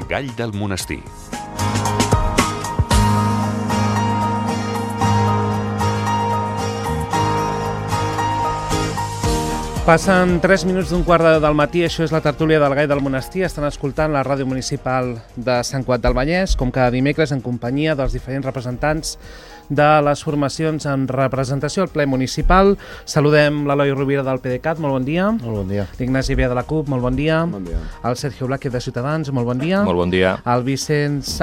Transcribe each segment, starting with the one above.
Gall del Monestir. Passen 3 minuts d'un quart del matí, això és la tertúlia del Gall del Monestir. Estan escoltant la ràdio municipal de Sant Cugat del Vallès, com cada dimecres, en companyia dels diferents representants de les formacions en representació al ple municipal. Saludem l'Eloi Rovira del PDeCAT, molt bon dia. Molt bon dia. L'Ignasi Via de la CUP, molt bon dia. Bon dia. El Sergio Blázquez de Ciutadans, molt bon dia. Molt bon dia. El Vicenç...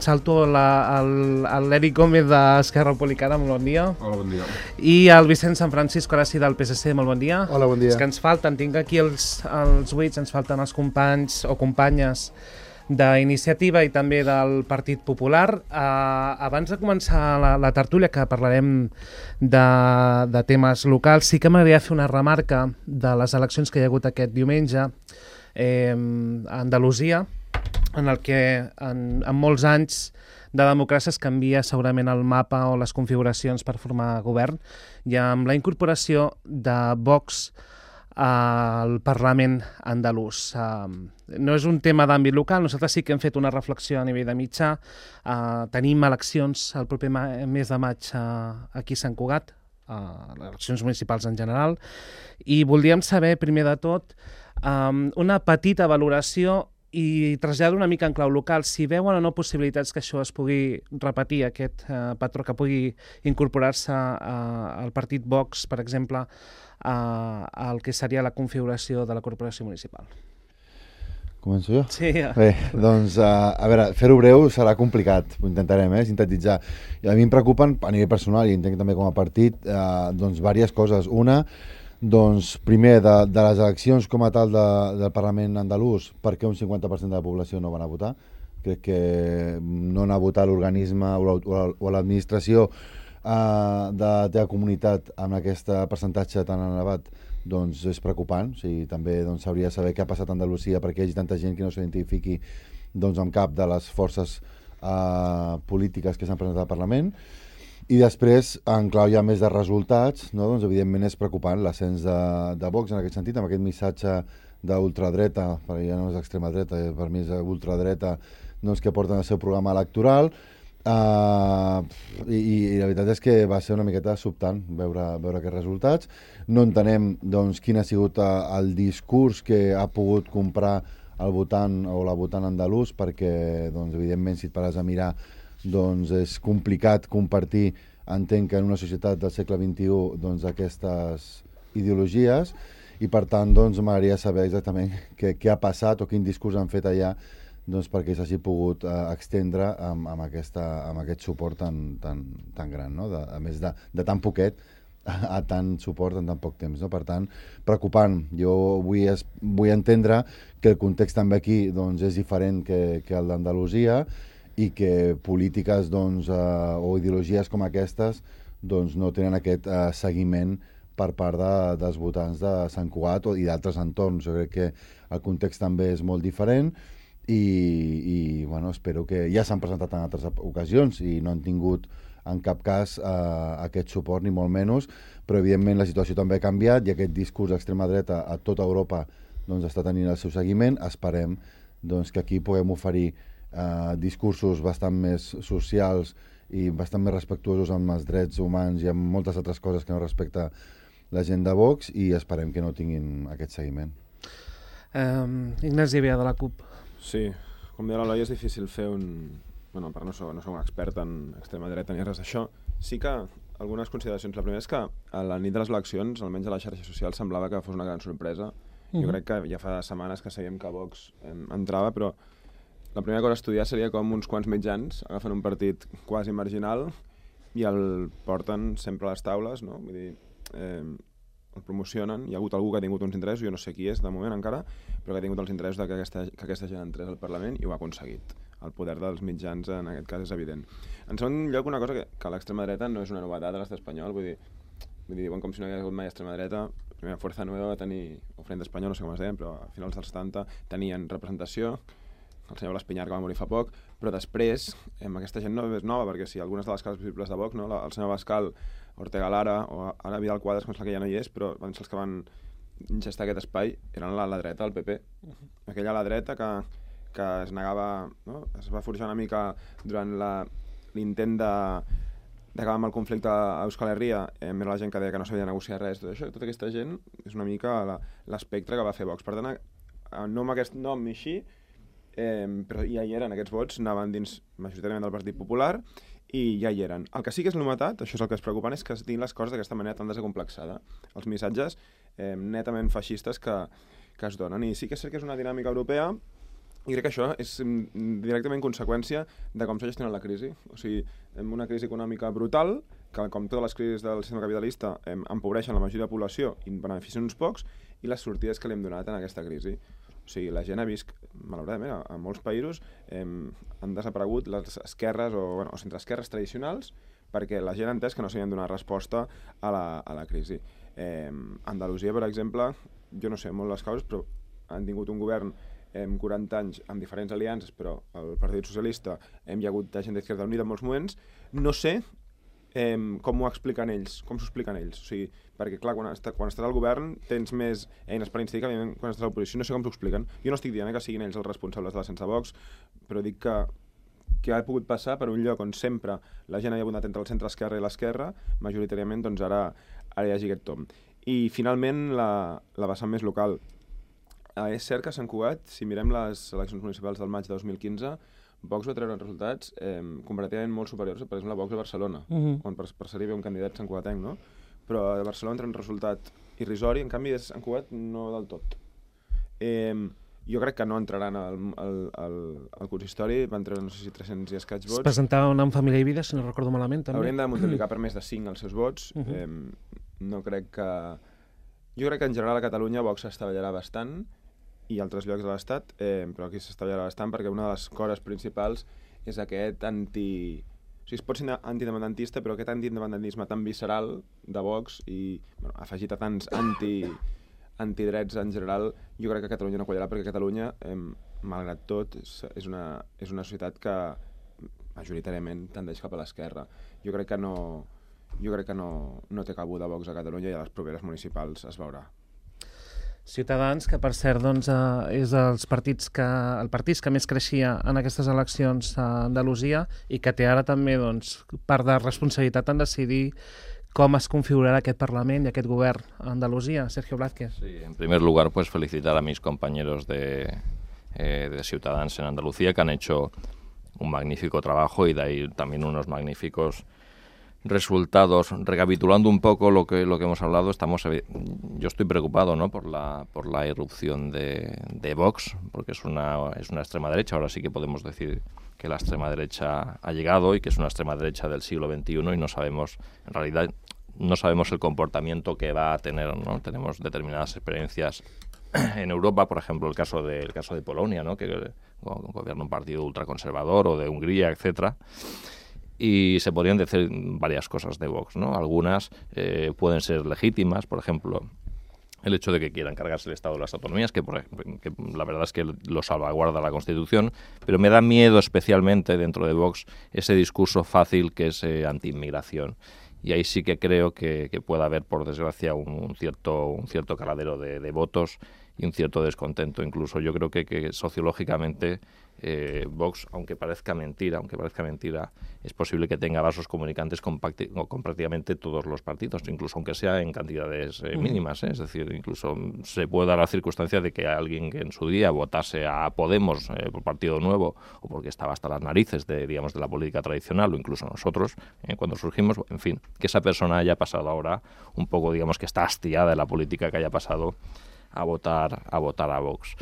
salto l'Eric Gómez d'Esquerra Republicana, molt bon dia. Hola, bon dia. I el Vicenç San Francisco, ara sí, del PSC, molt bon dia. Hola, bon dia. És que ens falten, tinc aquí els buits, ens falten els companys o companyes d'Iniciativa i també del Partit Popular. Abans de començar la tertúlia, que parlarem de temes locals, sí que m'agradaria fer una remarca de les eleccions que hi ha hagut aquest diumenge a Andalusia, en el que en molts anys de democràcia es canvia segurament el mapa o les configuracions per formar govern, i amb la incorporació de Vox al Parlament andalús. No és un tema d'àmbit local, nosaltres sí que hem fet una reflexió a nivell de mitjà. Tenim eleccions el proper mes de maig aquí a Sant Cugat, eleccions municipals en general, i voldríem saber, primer de tot, una petita valoració i trasllado una mica en clau local, si veuen o no possibilitats que això es pugui repetir, aquest patró, que pugui incorporar-se al partit Vox, per exemple, al que seria la configuració de la corporació municipal. Començo jo? Sí. Bé, doncs, a veure, fer-ho breu serà complicat, ho intentarem, sintetitzar. I a mi em preocupen, a nivell personal, i entenc també com a partit, doncs, diverses coses. Una, doncs, primer, de les eleccions com a tal del Parlament andalús, per què un 50% de la població no van a votar? Crec que no anar a votar l'organisme o l'administració de la teva comunitat amb aquest percentatge tan elevat, doncs és preocupant. O sigui, també s'hauria de saber què ha passat a Andalusia perquè hi hagi tanta gent que no s'identifiqui amb cap de les forces polítiques que s'han presentat al Parlament. I després, en clau ja més de resultats, no? Doncs evidentment és preocupant l'ascens de Vox en aquest sentit, amb aquest missatge d'ultradreta, perquè ja no és extrema dreta, per mi és ultradreta, doncs, que porten el seu programa electoral. I la veritat és que va ser una miqueta sobtant veure aquests resultats. No entenem doncs, quin ha sigut el discurs que ha pogut comprar el votant o la votant andalús, perquè doncs, evidentment si et pares a mirar doncs, és complicat compartir, entenc que en una societat del segle XXI doncs, aquestes ideologies, i per tant doncs, m'agradaria saber exactament què ha passat o quin discurs han fet allà doncs perquè s'hagi pogut extendre amb aquest suport tan gran, no? A més de tan poquet a tant suport en tan poc temps, no? Per tant, preocupant. Jo vull entendre que el context també aquí doncs, és diferent que el d'Andalusia i que polítiques doncs, o ideologies com aquestes doncs, no tenen aquest seguiment per part dels votants de Sant Cugat i d'altres entorns. Jo crec que el context també és molt diferent i bueno, espero que ja s'han presentat en altres ocasions i no han tingut en cap cas aquest suport, ni molt menys, però evidentment la situació també ha canviat i aquest discurs d'extrema dreta a tota Europa doncs, està tenint el seu seguiment. Esperem doncs, que aquí puguem oferir discursos bastant més socials i bastant més respectuosos amb els drets humans i amb moltes altres coses que no respecta la gent de Vox, i esperem que no tinguin aquest seguiment. Ignasi Via de la CUP. Sí, com deia l'Eloi, és difícil fer Bueno, per no soc un expert en extrema dreta ni res d'això. Sí que algunes consideracions. La primera és que a la nit de les eleccions, almenys a les xarxes socials, semblava que fos una gran sorpresa. Jo crec que ja fa setmanes que sabíem que Vox entrava, però la primera cosa a estudiar seria com uns quants mitjans agafen un partit quasi marginal i el porten sempre a les taules, no? Vull dir, el promocionen. Hi ha hagut algú que ha tingut uns interessos, jo no sé qui és de moment encara, però que ha tingut els interessos de que aquesta gent entrés al Parlament i ho ha aconseguit. El poder dels mitjans en aquest cas és evident. En segon lloc, una cosa que l'extrema dreta no és una novetat a l'estat espanyol, vull dir, diuen com si no hi hagués hagut mai extrema dreta. Primera Fuerza Nueva va tenir, o Frente Espanyol, no sé com es deien, però a finals dels 70 tenien representació, el senyor Blas Piñar, que va morir fa poc, però després, aquesta gent no és nova, perquè si algunes de les cases visibles de Vox, no? El senyor Bascal, Ortega Lara, o ara Vidal Quadras, que ja no hi és, però van ser els que van gestar aquest espai, eren la dreta del PP. Aquella a la dreta que que es negava, no? Es va forjar una mica durant l'intent d'acabar amb el conflicte a Euskal Herria, era la gent que deia que no s'havia de negociar res, tot això, tota aquesta gent és una mica l'espectre que va fer Vox. Per tant, no amb aquest nom i així, però ja hi eren, aquests vots anaven dins majoritàriament del Partit Popular i ja hi eren. El que sí que és novetat, això és el que és preocupant, és que es diguin les coses d'aquesta manera tan desacomplexada. Els missatges netament feixistes que es donen. I sí que és cert que és una dinàmica europea i crec que això és directament conseqüència de com s'ha gestionat la crisi. O sigui, una crisi econòmica brutal, que com totes les crisis del sistema capitalista empobreixen la majoria de la població i beneficien uns pocs, i les sortides que li hem donat en aquesta crisi. O sigui, la gent ha vist, malauradament, a molts països han desaparegut les esquerres o centreesquerres tradicionals perquè la gent ha entès que no s'havien donat resposta a la crisi. Andalusia, per exemple, jo no sé molt les causes, però han tingut un govern 40 anys amb diferents aliances, però el Partit Socialista hi ha hagut gent d'Izquierda Unida en molts moments. No sé com ho expliquen ells, com s'ho expliquen ells. O sigui, perquè, clar, quan estàs al govern tens més eines per incidir que quan estàs a l'oposició, no sé com s'ho expliquen. Jo no estic dient que siguin ells els responsables de l'ascens de Vox, però dic que ha pogut passar per un lloc on sempre la gent havia votat entre el centre-esquerra i l'esquerra, majoritàriament, doncs ara hi hagi aquest tom. I, finalment, la vessant més local. És cert que a Sant Cugat, si mirem les eleccions municipals del maig de 2015, Vox va treure resultats comparativament molt superiors, per exemple, a Vox a Barcelona, on per ser-hi ve un candidat santcugatenc, no? Però a Barcelona treuen un resultat irrisori, en canvi a Sant Cugat no del tot. Jo crec que no entraran al consistori, van treure no sé si 300 i escaig vots. Es presentaven en Família i Vida, si no recordo malament, també. Haurien de multiplicar per més de 5 els seus vots. No crec que... Jo crec que en general a Catalunya Vox s'estavellarà bastant, i altres llocs de l'Estat, però aquí s'estavellarà bastant perquè una de les cores principals és aquest O sigui, es pot ser antiindependentista, però aquest antiindependentisme tan visceral de Vox i afegit a tants antidrets en general, jo crec que a Catalunya no quallarà, perquè Catalunya, malgrat tot, és una societat que majoritàriament tendeix cap a l'esquerra. Jo crec que no té cabuda Vox a Catalunya i a les properes municipals es veurà. Ciutadans, que per cert doncs, és el partit que més creixia en aquestes eleccions a Andalusia i que té ara també part de responsabilitat en decidir cómo es configurará aquest Parlament y aquest govern a Andalucía. Sergio Blázquez. Sí, en primer lugar, pues felicitar a mis compañeros de Ciutadans en Andalucía, que han hecho un magnífico trabajo y de ahí también unos magníficos resultados. Recapitulando un poco lo que hemos hablado, yo estoy preocupado, ¿no?, por la irrupción de Vox, porque es una extrema derecha. Ahora sí que podemos decir que la extrema derecha ha llegado y que es una extrema derecha del siglo XXI y no sabemos, en realidad, no sabemos el comportamiento que va a tener, ¿no? Tenemos determinadas experiencias en Europa, por ejemplo, el caso de Polonia, ¿no?, que gobierna un partido ultraconservador, o de Hungría, etcétera. Y se podrían decir varias cosas de Vox, ¿no? Algunas pueden ser legítimas, por ejemplo, el hecho de que quieran cargarse el Estado de las autonomías, que la verdad es que lo salvaguarda la Constitución, pero me da miedo especialmente dentro de Vox ese discurso fácil que es anti-inmigración. Y ahí sí que creo que puede haber, por desgracia, un cierto caladero de votos y un cierto descontento. Incluso yo creo que sociológicamente Vox, aunque parezca mentira, es posible que tenga vasos comunicantes con prácticamente todos los partidos, incluso aunque sea en cantidades mínimas, Es decir, incluso se puede dar la circunstancia de que alguien que en su día votase a Podemos por Partido Nuevo, o porque estaba hasta las narices de la política tradicional, o incluso nosotros, cuando surgimos, en fin, que esa persona haya pasado ahora un poco, digamos, que está hastiada de la política, que haya pasado a votar a Vox.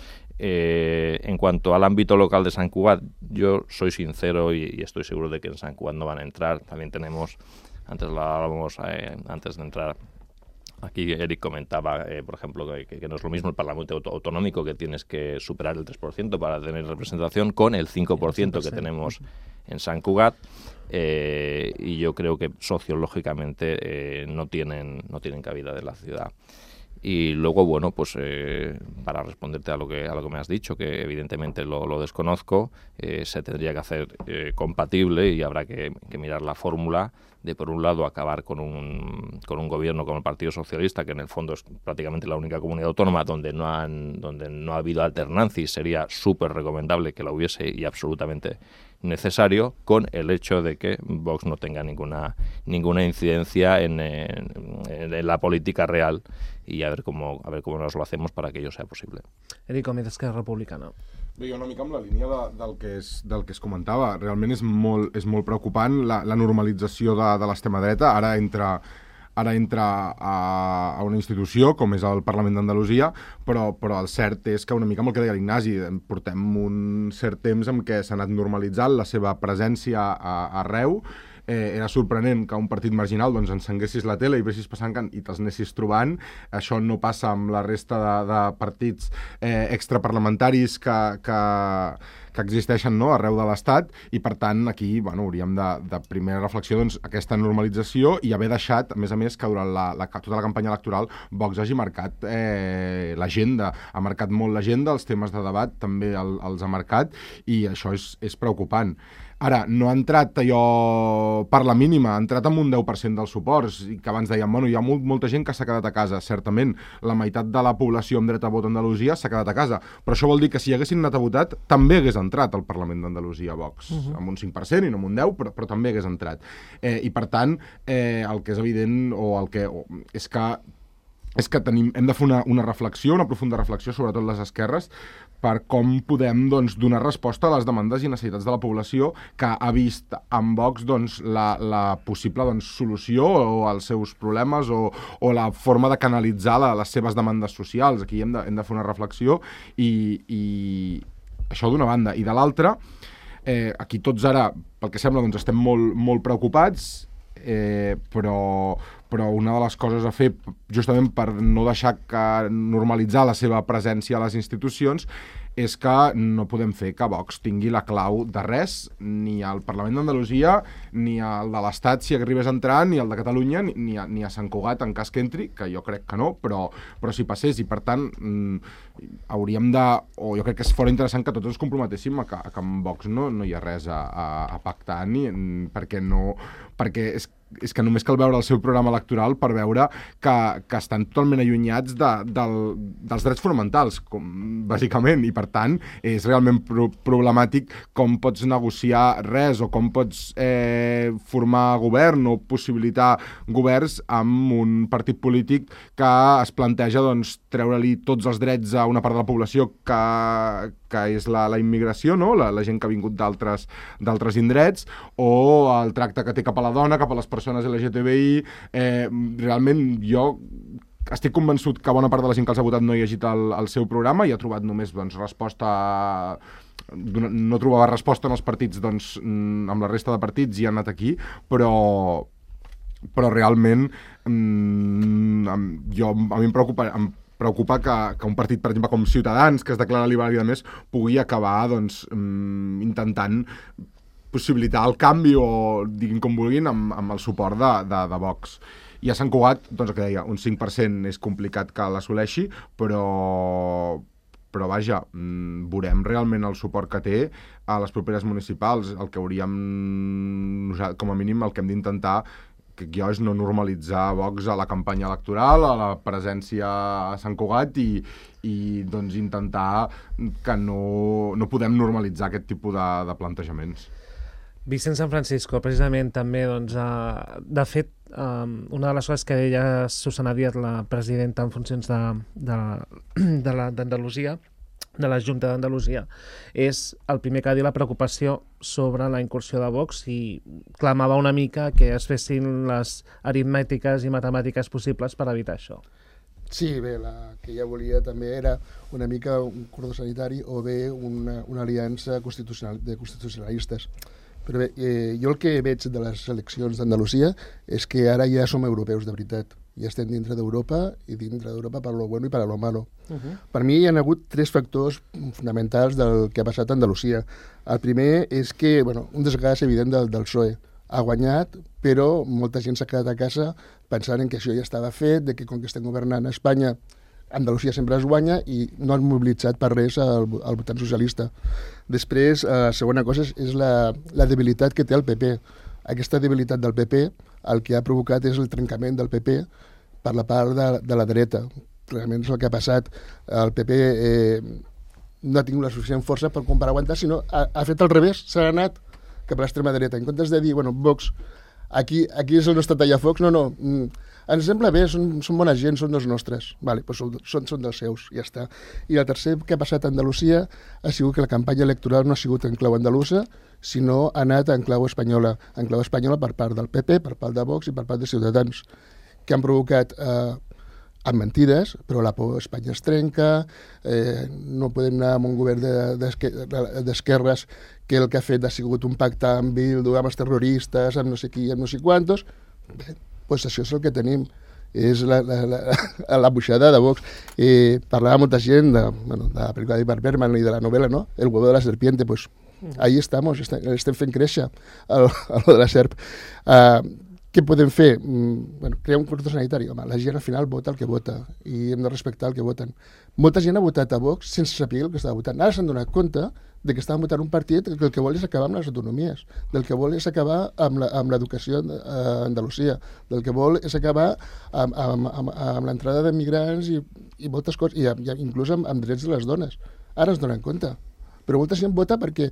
En cuanto al ámbito local de Sant Cugat, yo soy sincero y estoy seguro de que en Sant Cugat no van a entrar. También tenemos, antes lo hablábamos antes de entrar, aquí Eric comentaba, por ejemplo, que no es lo mismo el Parlamento autonómico, que tienes que superar el 3% para tener representación, con el 5% que tenemos en Sant Cugat, y yo creo que sociológicamente no tienen cabida de la ciudad. Y luego, bueno, pues para responderte a lo que me has dicho, que evidentemente lo desconozco, se tendría que hacer compatible, y habrá que mirar la fórmula de por un lado, acabar con un gobierno como el Partido Socialista, que en el fondo es prácticamente la única comunidad autónoma donde no ha habido alternancia, y sería súper recomendable que la hubiese y absolutamente necesario, con el hecho de que Vox no tenga ninguna incidencia en la política real, y a ver cómo nos lo hacemos para que ello sea possible. Eric, com d'Esquerra Republicana. Bé, jo una mica amb la línia del que es comentava. Realment és molt preocupant la normalització de l'extrema dreta. Ara entra a una institució com és el Parlament d'Andalusia, però el cert és que una mica amb el que deia l'Ignasi, portem un cert temps en què s'ha anat normalitzant la seva presència arreu. Era sorprenent que un partit marginal doncs, encenguessis la tele i vessis passant i te'ls anessis trobant. Això no passa amb la resta de partits extraparlamentaris que existeixen, no?, arreu de l'Estat, i per tant aquí hauríem de primera reflexió aquesta normalització, i haver deixat, a més que durant tota la campanya electoral Vox hagi marcat l'agenda, ha marcat molt l'agenda, els temes de debat també els ha marcat, i això és preocupant. Ara, no ha entrat allò per la mínima, ha entrat amb un 10% dels suports, i que abans dèiem, hi ha molta gent que s'ha quedat a casa. Certament, la meitat de la població amb dret a vot a Andalusia s'ha quedat a casa, però això vol dir que si haguessin anat a votar, també hagués entrat al Parlament d'Andalusia Vox, amb un 5% i no amb un 10%, però també hagués entrat. I per tant, el que és evident és que hem de fer una reflexió, una profunda reflexió, sobretot les esquerres, per com podem donar resposta a les demandes i necessitats de la població que ha vist en Vox la possible solució als seus problemes o la forma de canalitzar les seves demandes socials. Aquí hem de fer una reflexió, i això d'una banda. I de l'altra, aquí tots ara, pel que sembla, estem molt preocupats, però una de les coses a fer, justament per no deixar normalitzar la seva presència a les institucions, és que no podem fer que Vox tingui la clau de res, ni al Parlament d'Andalusia, ni al de l'Estat si arribés a entrar, ni al de Catalunya, ni a Sant Cugat en cas que entri, que jo crec que no, però si passés. I per tant hauríem o jo crec que fora interessant que tots ens comprometéssim a que amb Vox no hi ha res a pactar, perquè és que només cal veure el seu programa electoral per veure que estan totalment allunyats dels drets fonamentals, bàsicament, i per tant és realment problemàtic com pots negociar res, o com pots formar govern o possibilitar governs amb un partit polític que es planteja treure-li tots els drets a una part de la població que és la immigració, no? La gent que ha vingut d'altres indrets, o el tracte que té cap a la dona, cap a les persones LGTBI. Realment jo estic convençut que bona part de la gent que els ha votat no hi ha llegit el seu programa i ha trobat només resposta... No trobava resposta en els partits amb la resta de partits, i ha anat aquí, però realment a mi em preocupa que un partit, per exemple, com Ciutadans, que es declara liberal i a més, pugui acabar intentant possibilitar el canvi, o diguin com vulguin, amb el suport de Vox. I a Sant Cugat, el que deia, un 5% és complicat que l'assoleixi, però vaja, veurem realment el suport que té a les properes municipals. El que hauríem, com a mínim, el que hem d'intentar és no normalitzar Vox a la campanya electoral, a la presència a Sant Cugat, i intentar que no podem normalitzar aquest tipus de plantejaments. Vicent San Francisco, precisament també, de fet, una de les coses que deia Susana Díaz, la presidenta en funcions d'Andalusia, de la Junta d'Andalusia, és el primer que ha dit la preocupació sobre la incursió de Vox, i clamava una mica que es fessin les aritmètiques i matemàtiques possibles per evitar això. Sí, bé, la que ja volia també era una mica un cordó sanitari o bé una aliança de constitucionalistes. Però bé, jo el que veig de les eleccions d'Andalusia és que ara ja som europeus de veritat. Ja estem dintre d'Europa, i dintre d'Europa per lo bueno i per lo malo. Per mi hi ha hagut 3 factors fonamentals del que ha passat a Andalusia. El primer és que, un desgast evident del PSOE. Ha guanyat, però molta gent s'ha quedat a casa pensant que això ja estava fet, que com que estem governant a Espanya, Andalusia sempre es guanya, i no han mobilitzat per res el votant socialista. Després, la segona cosa és la debilitat que té el PP. Aquesta debilitat del PP el que ha provocat és el trencament del PP per la part de la dreta. Realment és el que ha passat. El PP no ha tingut la suficient força per aguantar, sinó ha fet al revés, s'ha anat cap a l'extrema dreta. En comptes de dir, bueno, Vox, aquí és el nostre tallafocs, no, ens sembla bé, són bona gent, són dels nostres. Vale, doncs són dels seus, ja està. I el tercer que ha passat a Andalusia ha sigut que la campanya electoral no ha sigut en clau andalusa, sinó ha anat en clau espanyola per part del PP, per part de Vox i per part de Ciutadans, que han provocat amb mentides, però la por a Espanya es trenca, no podem anar amb un govern d'esquerres que el que ha fet ha sigut un pacte amb Bildu, amb els terroristes, amb no sé qui, amb no sé quantos. Bé, doncs això és el que tenim, és la buixada de Vox. Parlava molta gent de la pel·lícula d'Ivar Bergman i de la novel·la, no? El huevo de la serpiente, pues ahí estamos, estem fent créixer el de la serp. Què podem fer? Crear un cordó sanitari. Home, la gent al final vota el que vota i hem de respectar el que voten. Molta gent ha votat a Vox sense saber el que estava votant. Ara s'han donat compte de que estaven votant un partit que el que vol és acabar amb les autonomies, del que vol és acabar amb l'educació a Andalusia, del que vol és acabar amb l'entrada de migrants i moltes coses, i inclús amb drets de les dones. Ara es donen compte. Però molta gent vota perquè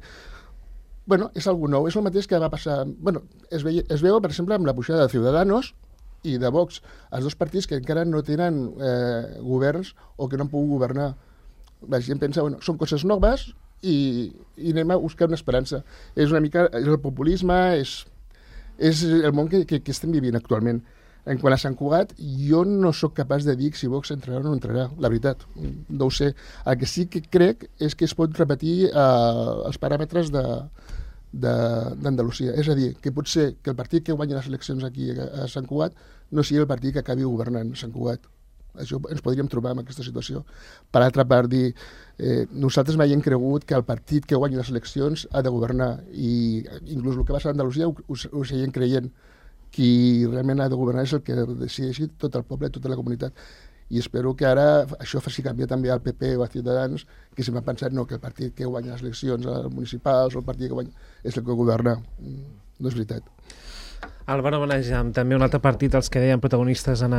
és algo nou, és el mateix que va passar... Es veu, per exemple, amb la pujada de Ciudadanos i de Vox, els dos partits que encara no tenen governs o que no han pogut governar. La gent pensa, són coses noves i anem a buscar una esperança. És una mica el populisme, és el món que estem vivint actualment. En quant a Sant Cugat, jo no sóc capaç de dir si Vox entrarà o no entrarà, la veritat, no ho sé. El que sí que crec és que es pot repetir els paràmetres d'Andalusia. És a dir, que pot ser que el partit que guanyi les eleccions aquí a Sant Cugat no sigui el partit que acabi governant Sant Cugat. Això ens podríem trobar en aquesta situació. Per altra part, nosaltres mai hem cregut que el partit que guanyi les eleccions ha de governar, i inclús el que va ser a Andalusia ho seguim creient. Qui realment ha de governar és el que decideixi tot el poble, tota la comunitat. I espero que ara això faci canviar també al PP o a Ciutadans, que sempre han pensat que el partit que guanya les eleccions municipals o el partit que guanya és el que governa. No és veritat. Álvaro Benejam, també un altre partit, els que deien protagonistes en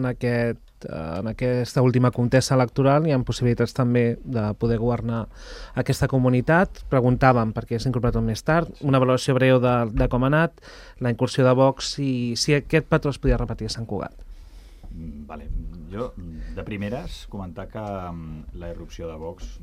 aquesta última contesa electoral, hi ha possibilitats també de poder governar aquesta comunitat. Preguntàvem, perquè s'ha incorporat més tard, una valoració breu de com ha anat, la incursió de Vox i si aquest patró es podia repetir a Sant Cugat. Vale. Jo, de primeres, comentar que la irrupció de Vox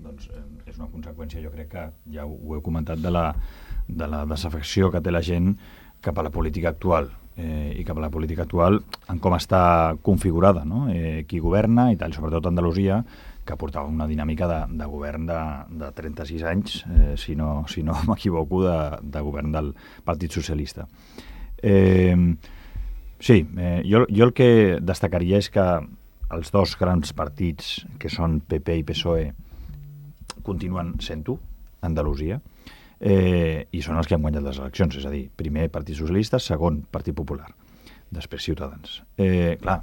és una conseqüència, jo crec que ja ho he comentat, de la desafecció que té la gent cap a la política actual, i cap a la política actual en com està configurada, no? Qui governa i tal, sobretot Andalusia, que portava una dinàmica de govern de 36 anys, si no m'equivoco, de govern del Partit Socialista. Jo el que destacaria és que els dos grans partits, que són PP i PSOE, continuen sent-ho a Andalusia, i són els que han guanyat les eleccions, és a dir, primer Partit Socialista, segon Partit Popular, després Ciutadans. Clar,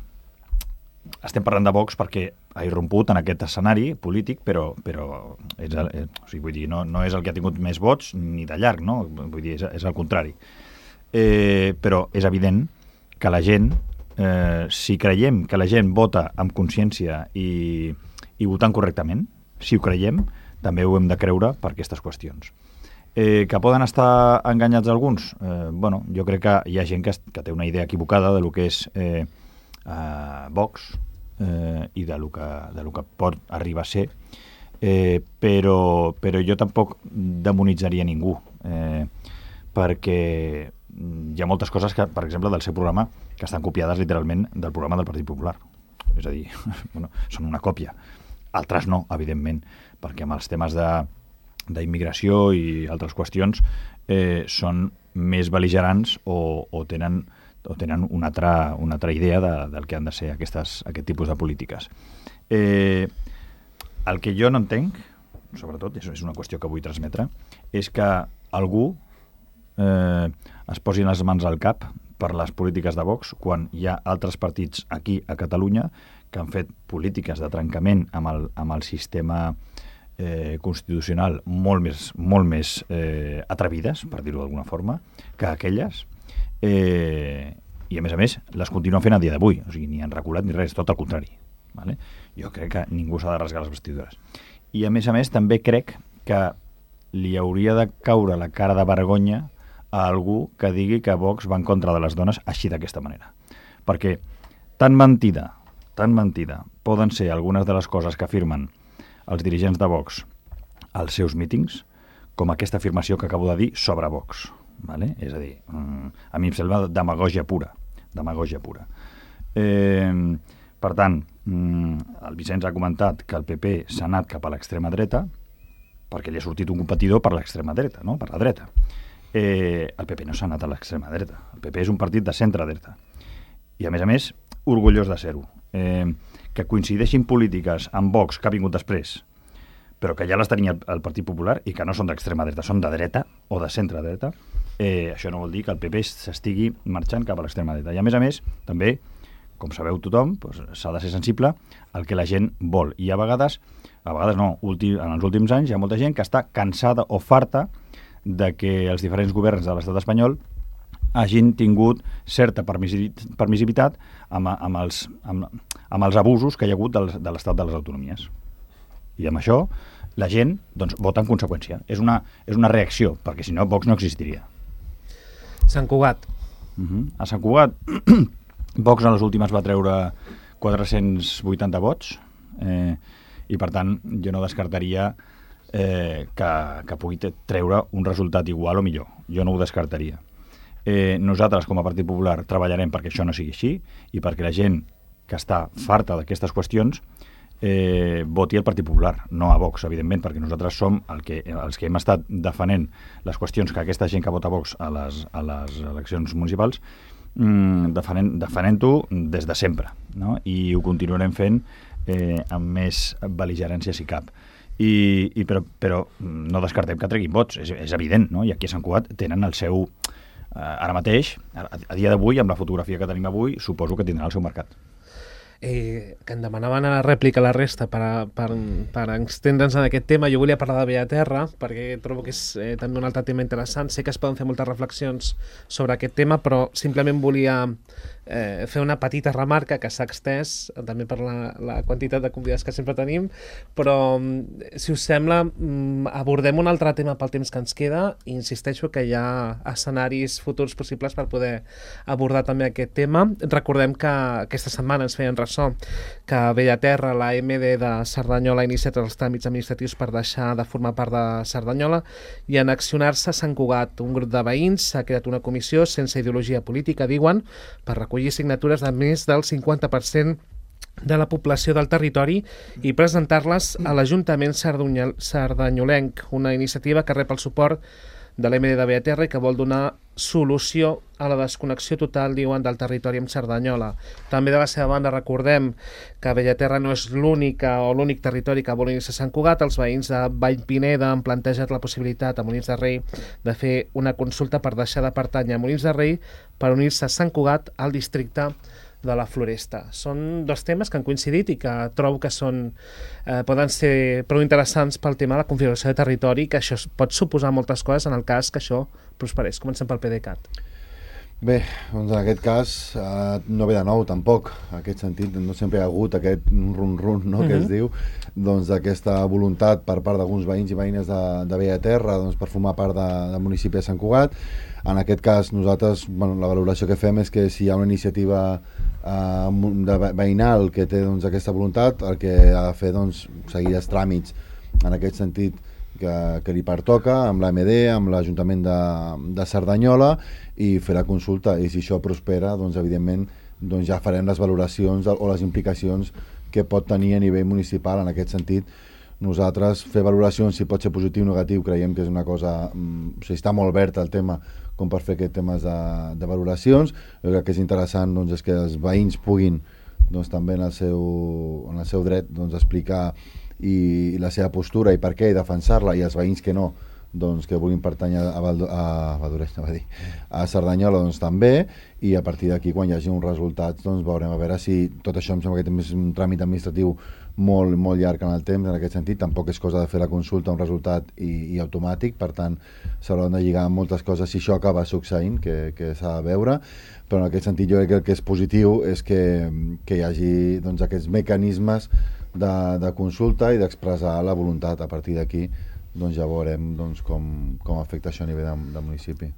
estem parlant de Vox perquè ha irromput en aquest escenari polític, però vull dir, no és el que ha tingut més vots ni de llarg, no? Vull dir, és el contrari. Però és evident que la gent, si creiem que la gent vota amb consciència i votant correctament, si ho creiem, també ho hem de creure per aquestes qüestions. Que poden estar enganyats alguns? Jo crec que hi ha gent que té una idea equivocada de lo que és Vox i de lo que pot arribar a ser, però jo tampoc demonitzaria ningú, perquè hi ha moltes coses que, per exemple, del seu programa, que estan copiades literalment del programa del Partit Popular. És a dir, són una còpia. Altres no, evidentment, perquè amb els temes d'immigració i altres qüestions són més bel·ligerants o tenen una altra idea del que han de ser aquest tipus de polítiques. El que jo no entenc, sobretot, és una qüestió que vull transmetre, és que algú es posi les mans al cap per les polítiques de Vox quan hi ha altres partits aquí a Catalunya que han fet polítiques de trencament amb el sistema constitucional molt més atrevides, per dir-ho d'alguna forma, que aquelles, I a més, les continuen fent a dia d'avui. O sigui, ni han reculat ni res, tot al contrari. Vale? Jo crec que ningú s'ha de rasgar les vestidures. I a més, també crec que li hauria de caure la cara de vergonya a algú que digui que Vox va en contra de les dones així d'aquesta manera. Perquè tan mentida poden ser algunes de les coses que afirmen els dirigents de Vox als seus mítings com aquesta afirmació que acabo de dir sobre Vox. Vale? És a dir, a mi em sembla demagògia pura. Per tant, el Vicenç ha comentat que el PP s'ha anat cap a l'extrema dreta perquè li ha sortit un competidor per l'extrema dreta, no? Per la dreta. El PP no s'ha anat a l'extrema dreta. El PP és un partit de centre-dreta. I, a més, orgullós de ser-ho. Que coincideixin polítiques amb Vox, que ha vingut després, però que ja les tenia el Partit Popular i que no són d'extrema dreta, són de dreta o de centre-dreta, això no vol dir que el PP s'estigui marxant cap a l'extrema dreta. I, a més, també, com sabeu tothom, s'ha de ser sensible al que la gent vol. I a vegades no, en els últims anys hi ha molta gent que està cansada o farta de que els diferents governs de l'estat espanyol hagin tingut certa permissivitat amb els abusos que hi ha hagut de l'estat de les autonomies. I amb això la gent vota en conseqüència. És una reacció, perquè si no Vox no existiria. Sant Cugat. A Sant Cugat Vox a les últimes va treure 480 vots i per tant jo no descartaria que pugui treure un resultat igual o millor. Jo no ho descartaria. Nosaltres com a Partit Popular treballarem perquè això no sigui així i perquè la gent que està farta d'aquestes qüestions voti el Partit Popular, no a Vox, evidentment, perquè nosaltres som els que hem estat defenent les qüestions que aquesta gent que vota Vox a les eleccions municipals defenent-ho des de sempre, no? I ho continuarem fent amb més bel·ligerància si cap. Però no descartem que treguin vots, és evident, no? I aquí a Sant Cugat tenen el seu... Ara mateix, a dia d'avui, amb la fotografia que tenim avui, suposo que tindrà el seu mercat. Que em demanaven a la rèplica la resta per extendre'ns en aquest tema. Jo volia parlar de Bellaterra perquè trobo que és també un altre tema interessant. Sé que es poden fer moltes reflexions sobre aquest tema, però simplement volia fer una petita remarca que s'ha extès també per la quantitat de convidats que sempre tenim, però si us sembla abordem un altre tema pel temps que ens queda i insisteixo que hi ha escenaris futurs possibles per poder abordar també aquest tema. Recordem que aquesta setmana ens feien ressò que a Bellaterra la MD de Cerdanyola ha iniciat els tràmits administratius per deixar de formar part de Cerdanyola i en accionar-se a Sant Cugat. Un grup de veïns s'ha creat una comissió sense ideologia política, diuen, per recollir signatures de més del 50% de la població del territori i presentar-les a l'Ajuntament sardanyolenc, una iniciativa que rep el suport de l'MD de Bellaterra i que vol donar solució a la desconnexió total, diuen, del territori amb Cerdanyola. També de la seva banda recordem que Bellaterra no és l'únic territori que vol unir-se a Sant Cugat. Els veïns de Vallpineda han plantejat la possibilitat a Molins de Rei de fer una consulta per deixar de pertànyer a Molins de Rei per unir-se a Sant Cugat al districte de la Floresta. Són dos temes que han coincidit i que trobo que poden ser prou interessants pel tema de la configuració de territori, que això pot suposar moltes coses en el cas que això prosperés. Comencem pel PDeCAT. Bé, doncs en aquest cas no ve de nou tampoc, en aquest sentit no sempre hi ha hagut aquest run-run, no, que es diu, doncs d'aquesta voluntat per part d'alguns veïns i veïnes de Bellaterra per formar part del municipi de Sant Cugat. En aquest cas nosaltres, la valoració que fem és que si hi ha una iniciativa veïnal que té aquesta voluntat, el que ha de fer seguir els tràmits en aquest sentit que li pertoca amb l'AMD, amb l'Ajuntament de Cerdanyola i fer la consulta, i si això prospera evidentment ja farem les valoracions o les implicacions que pot tenir a nivell municipal. En aquest sentit nosaltres fer valoracions si pot ser positiu o negatiu creiem que és una cosa, està molt obert el tema com per fer aquests temes de valoracions. Jo crec que és interessant és que els veïns puguin també en el seu dret explicar i la seva postura i per què, i defensar-la, i els veïns que no doncs, que vulguin pertànyer a Cerdanyola, doncs, també, i a partir d'aquí, quan hi hagi uns resultats, doncs, veurem a veure si tot això em sembla que és un tràmit administratiu molt, molt llarg en el temps, en aquest sentit. Tampoc és cosa de fer la consulta, un resultat i automàtic, per tant, s'hauran de lligar moltes coses si això acaba succeint, que s'ha de veure, però en aquest sentit jo crec que el que és positiu és que hi hagi, doncs, aquests mecanismes de consulta i d'expressar la voluntat. A partir d'aquí, doncs, ja veurem, doncs, com afecta això a nivell de municipi.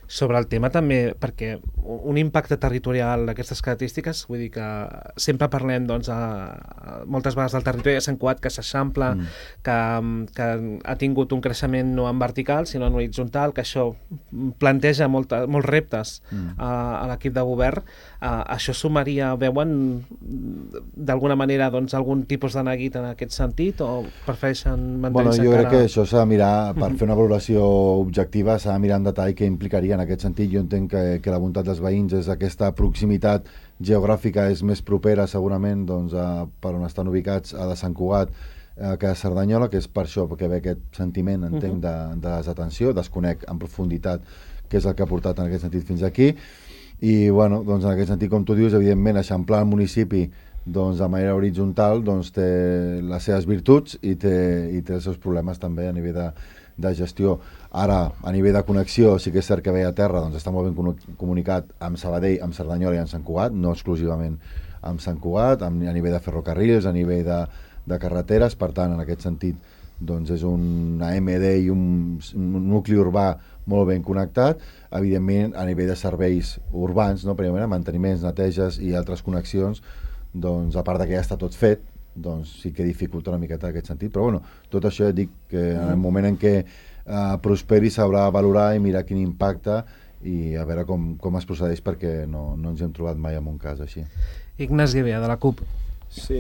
Sobre el tema també, perquè un impacte territorial d'aquestes característiques, vull dir que sempre parlem, doncs, moltes vegades del territori de Sant Cugat, que s'eixampla, que ha tingut un creixement no en vertical sinó en horitzontal, que això planteja molts reptes a l'equip de govern. Això sumaria, veuen d'alguna manera, doncs, algun tipus de neguit en aquest sentit, o prefereixen mantenir-se jo crec que això s'ha de mirar, per fer una valoració objectiva, s'ha de mirar en detall què implicaria. En aquest sentit, jo entenc que la voluntat dels veïns és aquesta proximitat geogràfica, és més propera segurament, doncs, per on estan ubicats a de Sant Cugat que a Cerdanyola, que és per això que ve aquest sentiment, entenc, de desatenció. Desconec en profunditat què és el que ha portat en aquest sentit fins aquí, i bueno, doncs, en aquest sentit, com tu dius, evidentment eixamplar el municipi, doncs, de manera horitzontal, doncs, té les seves virtuts i té els seus problemes també a nivell de gestió. Ara, a nivell de connexió, sí que és cert que ve a terra, doncs, està molt ben comunicat amb Sabadell, amb Cerdanyola i amb Sant Cugat, no exclusivament amb Sant Cugat, a nivell de ferrocarrils, a nivell de carreteres. Per tant, en aquest sentit, doncs, és una MD i un nucli urbà molt ben connectat. Evidentment, a nivell de serveis urbans, no, primerament, manteniments, neteges i altres connexions, doncs, a part que ja està tot fet, doncs sí que dificulta una miqueta en aquest sentit, però bueno, tot això ja dic que en el moment en què prosperi s'haurà de valorar i mirar quin impacte i a veure com es procedeix, perquè no ens hem trobat mai en un cas així. Ignasi Bea, de la CUP. Sí,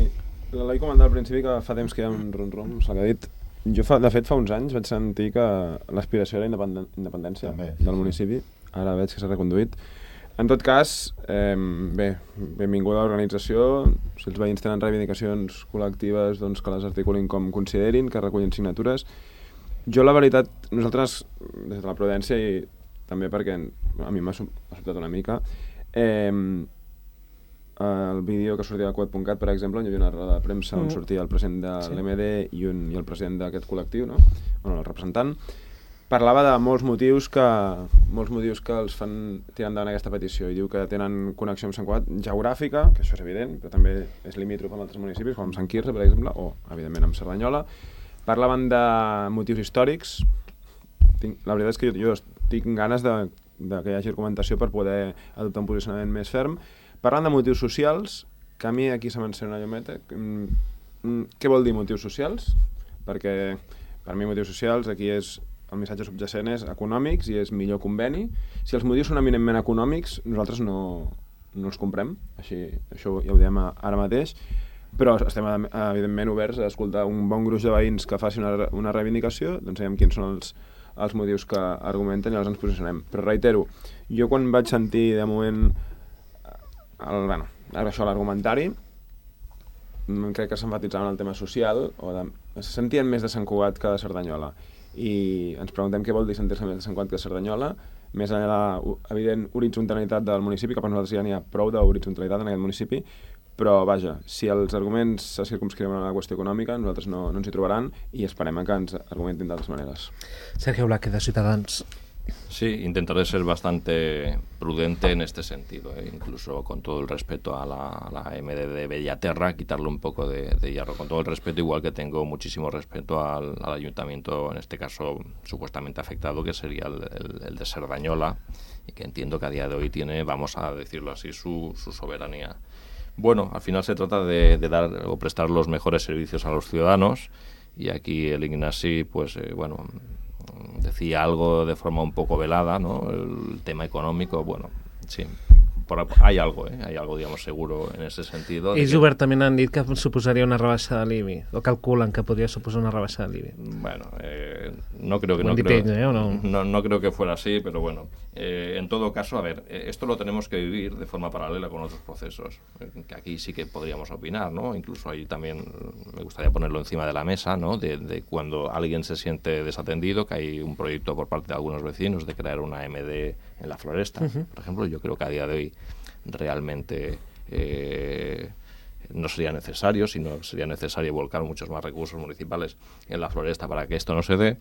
l'Eloi comentava al principi que fa temps que hi ha un rum-rum, s'ha dit. Jo, de fet, fa uns anys vaig sentir que l'aspiració era independència del municipi, ara veig que s'ha reconduït. En tot cas, benvinguda a l'organització. Si els veïns tenen reivindicacions col·lectives, doncs que les articulin com considerin, que recullin signatures. Jo, la veritat, nosaltres, des de la prudència, i també perquè a mi m'ha sobtat una mica, el vídeo que sortia de Cuat.cat, per exemple, on hi havia una roda de premsa on sortia el president de l'MD i el president d'aquest col·lectiu, no? Bueno, el representant, parlava de molts motius que els fan tirar endavant aquesta petició, i diu que tenen connexió amb Sant Cugat geogràfica, que això és evident, però també és limítrof amb altres municipis, com amb Sant Quirze, per exemple, o, evidentment, amb Cerdanyola. Parlaven de motius històrics. La veritat és que jo tinc ganes que hi hagi argumentació per poder adoptar un posicionament més ferm. Parlant de motius socials, que a mi aquí se m'encén una llumeta. Què vol dir motius socials? Perquè per mi motius socials aquí és el missatge subjacent és econòmics i és millor conveni. Si els motius són eminentment econòmics, nosaltres no els comprem, això ja ho diem ara mateix, però estem evidentment oberts a escoltar un bon gruix de veïns que faci una reivindicació, doncs sabem quins són els motius que argumenten i llavors ens posicionem. Però reitero, jo quan vaig sentir de moment l'argumentari, crec que s'enfatitzaven el tema social, se sentien més de Sant Cugat que de Cerdanyola, i ens preguntem què vol dir sentir-se més de Sant Cugat que de Cerdanyola, més enllà de l'evident horitzontalitat del municipi, que per nosaltres ja n'hi ha prou d'horitzonalitat en aquest municipi, però vaja, si els arguments se circumscriuen a la qüestió econòmica, nosaltres no ens hi trobaran i esperem que ens argumentin d'altres maneres. Sergio Blaque, de Ciutadans. Sí, intentaré ser bastante prudente en este sentido, incluso con todo el respeto a la MD de Bellaterra, quitarle un poco de hierro, con todo el respeto, igual que tengo muchísimo respeto al ayuntamiento, en este caso supuestamente afectado, que sería el de Cerdanyola, y que entiendo que a día de hoy tiene, vamos a decirlo así, su soberanía. Bueno, al final se trata de dar o prestar los mejores servicios a los ciudadanos, y aquí el Ignasi, pues decía algo de forma un poco velada, ¿no? El tema económico, bueno, sí, hay algo, digamos, seguro en ese sentido. Ells obertament han dit que suposaria una rebaixa de l'IBI, o calculen que podria suposar una rebaixa de l'IBI. Bueno, no creo que fuera así, pero bueno, en todo caso, a ver, esto lo tenemos que vivir de forma paralela con otros procesos, que aquí sí que podríamos opinar, ¿no? Incluso ahí también me gustaría ponerlo encima de la mesa, ¿no? De cuando alguien se siente desatendido, que hay un proyecto por parte de algunos vecinos de crear una AMD en la Floresta, por ejemplo. Yo creo que a día de hoy realmente no sería necesario, sino sería necesario volcar muchos más recursos municipales en la Floresta para que esto no se dé.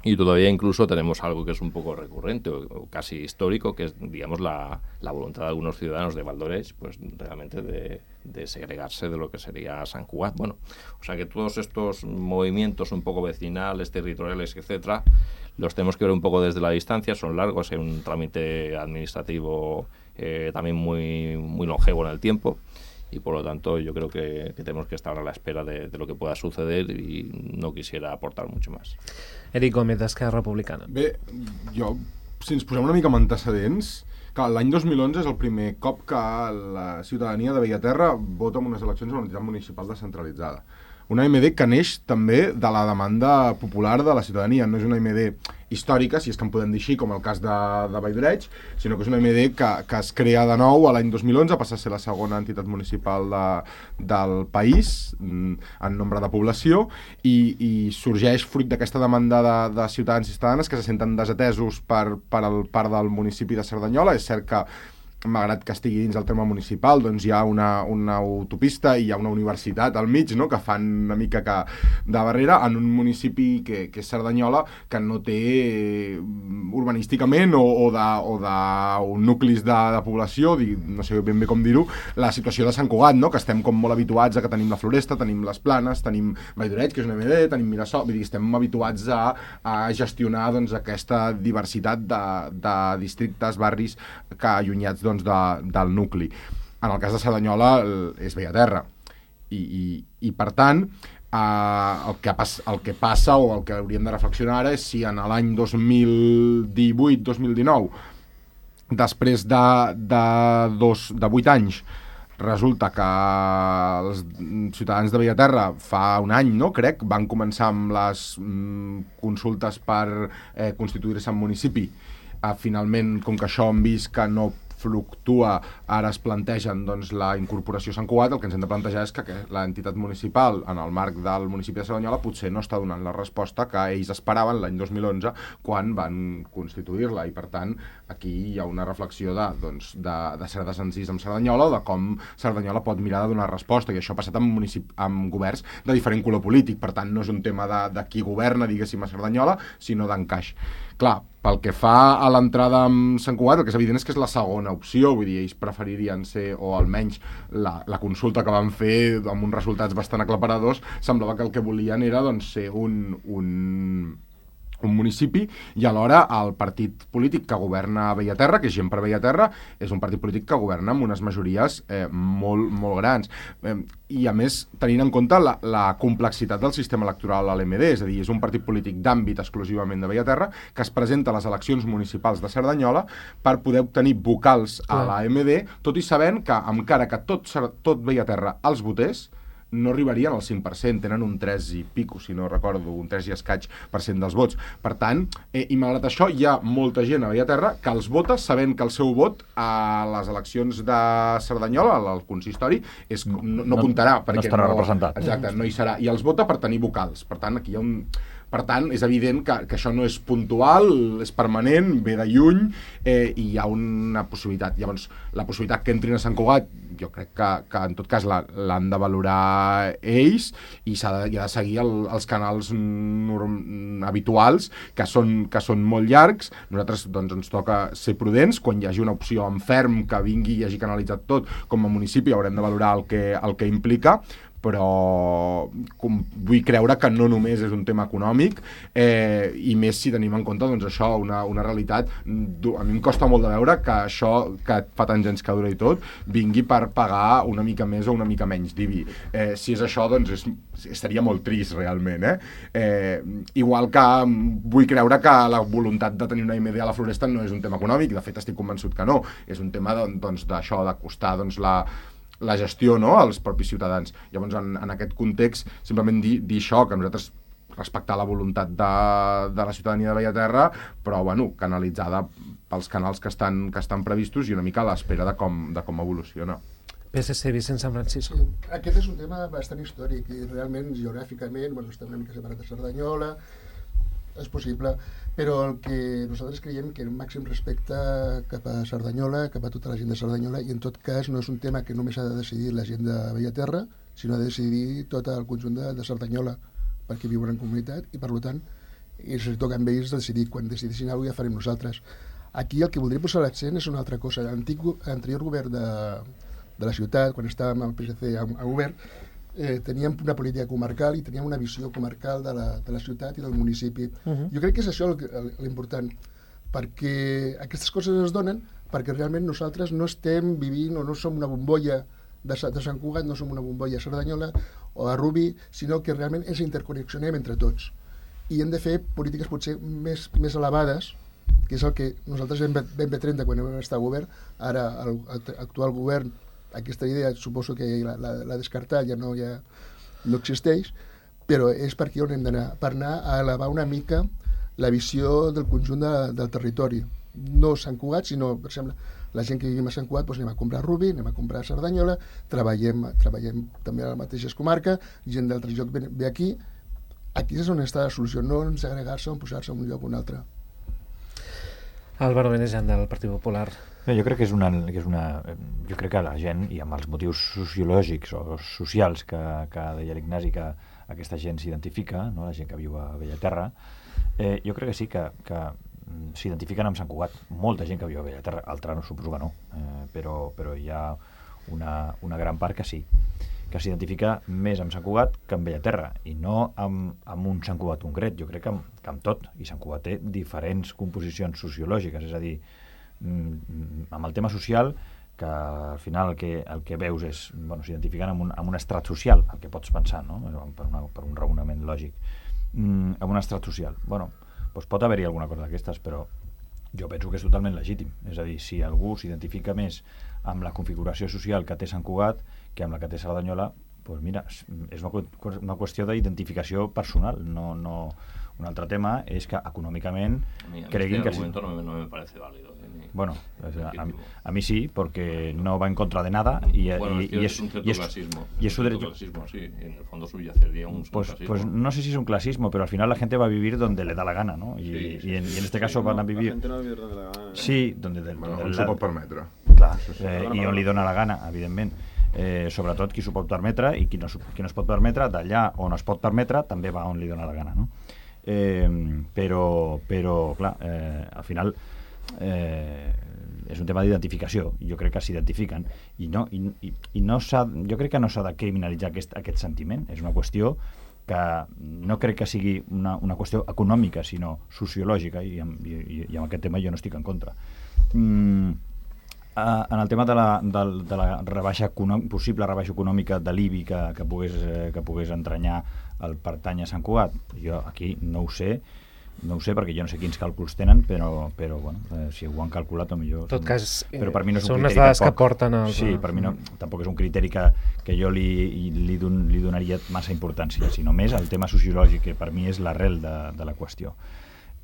Y todavía incluso tenemos algo que es un poco recurrente o casi histórico, que es, digamos, la voluntad de algunos ciudadanos de Valdoreix, pues realmente de segregarse de lo que sería Sant Cugat. Bueno, o sea que todos estos movimientos un poco vecinales, territoriales, etcétera, los tenemos que ver un poco desde la distancia, son largos, hay un trámite administrativo también muy longevo en el tiempo. Y por lo tanto yo creo que tenemos que estar a la espera de lo que pueda suceder y no quisiera aportar mucho más. Eric Gómez, d'Esquerra Republicana. Bé, si ens posem una mica amb antecedents, que l'any 2011 és el primer cop que la ciutadania de Bellaterra vota en unes eleccions a una entitat municipal descentralitzada. Una AMD que neix també de la demanda popular de la ciutadania. No és una AMD històrica, si és que en podem dir així, com el cas de Valldoreig, sinó que és una AMD que es crea de nou a l'any 2011, passa a ser la segona entitat municipal del país en nombre de població i sorgeix fruit d'aquesta demanda de ciutadans i ciutadanes que se senten desatesos per part del municipi de Cerdanyola. És cert que malgrat que estigui dins el terme municipal, doncs hi ha una autopista i hi ha una universitat al mig, no?, que fan una mica que de barrera en un municipi que és Cerdanyola, que no té urbanísticament o d'un nuclis de població, no sé ben bé com dir-ho, la situació de Sant Cugat, no?, que estem com molt habituats a que tenim la Floresta, tenim les Planes, tenim Valldoreig, que és una MD, tenim Mirasol, vull dir, estem habituats a gestionar doncs, aquesta diversitat de districtes, barris que allunyats del nucli. En el cas de Cerdanyola és Bellaterra i per tant el que passa o el que hauríem de reflexionar ara és si en l'any 2018-2019 després de 8 anys resulta que els ciutadans de Bellaterra fa un any, no, crec, van començar amb les consultes per constituir-se en municipi. Finalment, com que això hem vist que no fluctua, ara es plantegen doncs, la incorporació a Sant Cugat, el que ens hem de plantejar és que l'entitat municipal, en el marc del municipi de Cerdanyola, potser no està donant la resposta que ells esperaven l'any 2011 quan van constituir-la, i per tant aquí hi ha una reflexió de ser desencís amb Cerdanyola o de com Cerdanyola pot mirar de donar resposta, i això ha passat amb governs de diferent color polític, per tant no és un tema de qui governa, diguéssim, a Cerdanyola, sinó d'encaix. Clar, pel que fa a l'entrada amb Sant Cugat, el que és evident és que és la segona opció, vull dir, ells preferirien ser, o almenys la consulta que van fer amb uns resultats bastant aclaparadors, semblava que el que volien era doncs, ser un municipi, i alhora el partit polític que governa a Bellaterra, que és Gent per Bellaterra, és un partit polític que governa amb unes majories molt, molt grans. I a més, tenint en compte la complexitat del sistema electoral a l'MD, és a dir, és un partit polític d'àmbit exclusivament de Bellaterra, que es presenta a les eleccions municipals de Cerdanyola per poder obtenir vocals a la MD, tot i sabent que, encara que tot Bellaterra els votés, no arribarien al 5%, tenen un 3 i pico, si no recordo, un 3 i escaig % dels vots. Per tant, i malgrat això, hi ha molta gent a Bellaterra que els vota sabent que el seu vot a les eleccions de Cerdanyola, al consistori, no comptarà. No estarà representat. Exacte, no hi serà. I els vota per tenir vocals. Per tant, aquí hi ha Per tant, és evident que això no és puntual, és permanent, ve de lluny, i hi ha una possibilitat. Llavors, la possibilitat que entrin a Sant Cugat, jo crec que en tot cas l'han de valorar ells, i ha de seguir els canals habituals, que són molt llargs. Nosaltres doncs, ens toca ser prudents. Quan hi hagi una opció en ferm que vingui i hagi canalitzat tot, com a municipi haurem de valorar el que implica, però vull creure que no només és un tema econòmic, i més si tenim en compte doncs, això, una realitat. A mi em costa molt de veure que això, que fa tants anys que dura i tot, vingui per pagar una mica més o una mica menys d'IBI. Si és això, doncs seria molt trist realment. Igual que vull creure que la voluntat de tenir una AMD a la Floresta no és un tema econòmic, de fet estic convençut que no, és un tema doncs, d'això, de costar doncs, la gestió, no?, als propis ciutadans. Llavors, en aquest context, simplement dir això, que nosaltres respectar la voluntat de la ciutadania de Bellaterra, però, bueno, canalitzada pels canals que estan previstos i una mica a l'espera de com evoluciona. PSC, Vicent San Francisco. Sí, aquest és un tema bastant històric i realment geogràficament, bueno, està una mica separat de Cerdanyola, és possible, però el que nosaltres creiem que el màxim respecte cap a Cerdanyola, cap a tota la gent de Cerdanyola, i en tot cas no és un tema que només ha de decidir la gent de Bellaterra, sinó ha de decidir tot el conjunt de Cerdanyola, perquè viuen en comunitat i per tant els toca amb ells decidir. Quan decidissin alguna cosa ja farem nosaltres. Aquí el que voldria posar l'accent és una altra cosa. L'anterior govern de la ciutat, quan estàvem al PSC a govern, teníem una política comarcal i teníem una visió comarcal de la ciutat i del municipi. Jo crec que és això l'important, perquè aquestes coses es donen perquè realment nosaltres no estem vivint o no som una bombolla de Sant Cugat, no som una bombolla a Cerdanyola o a Rubí, sinó que realment ens interconnexionem entre tots. I hem de fer polítiques potser més elevades, que és el que nosaltres vam fer 30 quan vam estar a govern. Ara l'actual govern, aquesta idea suposo que l'ha descartat, ja no existeix, però és per aquí on hem d'anar, per anar a elevar una mica la visió del conjunt del territori. No Sant Cugat, sinó, per exemple, la gent que vivim a Sant Cugat, doncs anem a comprar a Rubí, anem a comprar a Cerdanyola, treballem també a la mateixa comarca, gent d'altre lloc ve aquí. Aquí és on està la solució, no en segregar-se o en posar-se en un lloc o un altre. Álvaro Benejan, del Partit Popular. Jo crec que jo crec que la gent, i amb els motius sociològics o socials que deia l'Ignasi, que aquesta gent s'identifica, no? La gent que viu a Bellaterra, jo crec que sí que s'identifiquen amb Sant Cugat. Molta gent que viu a Bellaterra, altra no, suposo que no, però hi ha una gran part que sí, que s'identifica més amb Sant Cugat que amb Bellaterra, i no amb un Sant Cugat concret. Jo crec que amb tot, i Sant Cugat té diferents composicions sociològiques, és a dir, amb el tema social, que al final el que veus és, bueno, s'identifiquen amb un estrat social, el que pots pensar, no? Per un raonament lògic, amb un estrat social. Bueno, doncs pot haver-hi alguna cosa d'aquestes, però jo penso que és totalment legítim. És a dir, si algú s'identifica més amb la configuració social que té Sant Cugat que amb la que té Cerdanyola, doncs mira, és una qüestió d'identificació personal. No, un altre tema és que econòmicament creguin que sí. No me parece válido. Bueno, a mí sí, porque no va en contra de nada y es un cierto clasismo. Y es su derecho. Clasismo, sí, en el fondo subyacería un clasismo. Pues no sé si es un clasismo, pero al final la gente va a vivir donde le da la gana, ¿no? Y en este caso van a vivir... La gente no va a vivir donde le da la gana. Sí, donde s'ho pot permetre. Clar, i on li dona la gana, evidentment. Sobretot qui s'ho pot permetre, i qui no es pot permetre, d'allà on es pot permetre, també va on li dona la gana, no? Però clar, al final és un tema d'identificació. Jo crec que s'identifiquen i no jo crec que no s'ha de criminalitzar aquest sentiment. És una qüestió que no crec que sigui una qüestió econòmica, sinó sociològica, i amb aquest tema jo no estic en contra. En el tema de la possible rebaixa econòmica de l'IBI que pogués entranyar el pertany a Sant Cugat, jo aquí no ho sé perquè jo no sé quins càlculs tenen, però bueno, si ho han calculat potser... En tot cas, però per mi no és un són criteri unes dades tampoc, que porten al... Sí, per mi tampoc és un criteri que jo li donaria massa importància, sinó més el tema sociològic, que per mi és l'arrel de la qüestió.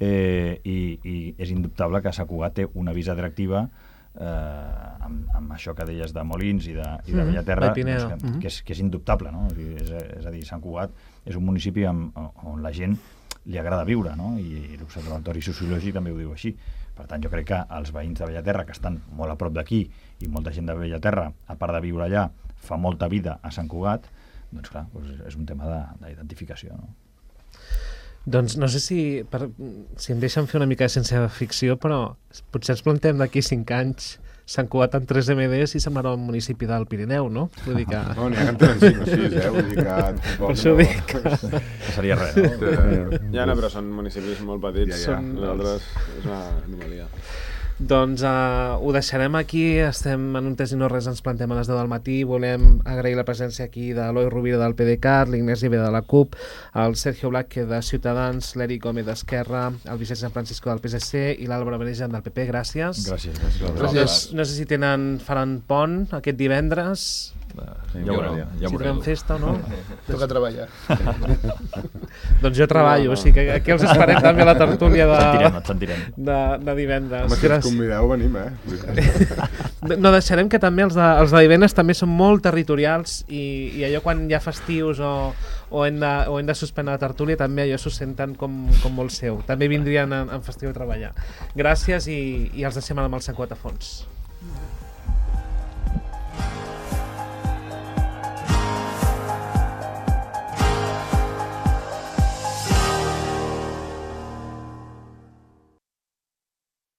I és indubtable que Sant Cugat té una visa atractiva amb això que deies de Molins i de Bellaterra, que és indubtable, no? És a dir, Sant Cugat és un municipi on la gent li agrada viure, no? I l'Observatori Sociològic també ho diu així. Per tant, jo crec que els veïns de Bellaterra, que estan molt a prop d'aquí, i molta gent de Bellaterra, a part de viure allà, fa molta vida a Sant Cugat, doncs clar, és un tema d'identificació, no? Doncs no sé si em deixen fer una mica de ciència ficció, però potser ens plantem d'aquí 5 anys Sant Cugat en 3 MDs i semblarà un municipi del Pirineu, no? Vull dir que... No, n'hi ha que en tenen 5 o 6, vull dir que... Per això dic que... No seria res, no? Ja no, però són municipis molt petits. Ja. Nosaltres és una anomalia. Doncs ho deixarem aquí, estem en un Test i no res, ens plantem a les 10 del matí, volem agrair la presència aquí de l'Eloi Rovira del PDeCAT, l'Ignasi Ve de la CUP, el Sergio Blázquez de Ciutadans, l'Eric Gómez d'Esquerra, el Vicent San Francisco del PSC i l'Àlvaro Benejan del PP, gràcies. Gràcies. No sé si faran pont aquest divendres, Ja ho veurem. si tenen festa o no. Toca treballar. Doncs jo treballo, o sigui que aquí els esperem també a la tertúlia Et sentirem. de divendres. Home, si ens convideu, venim, No, deixarem que també els de divendres també són molt territorials i allò quan hi ha festius o hem de suspendre la tertúlia també allò s'ho senten com molt seu. També vindrien en festiu a treballar. Gràcies i els deixem amb el Sant Cugat a fons.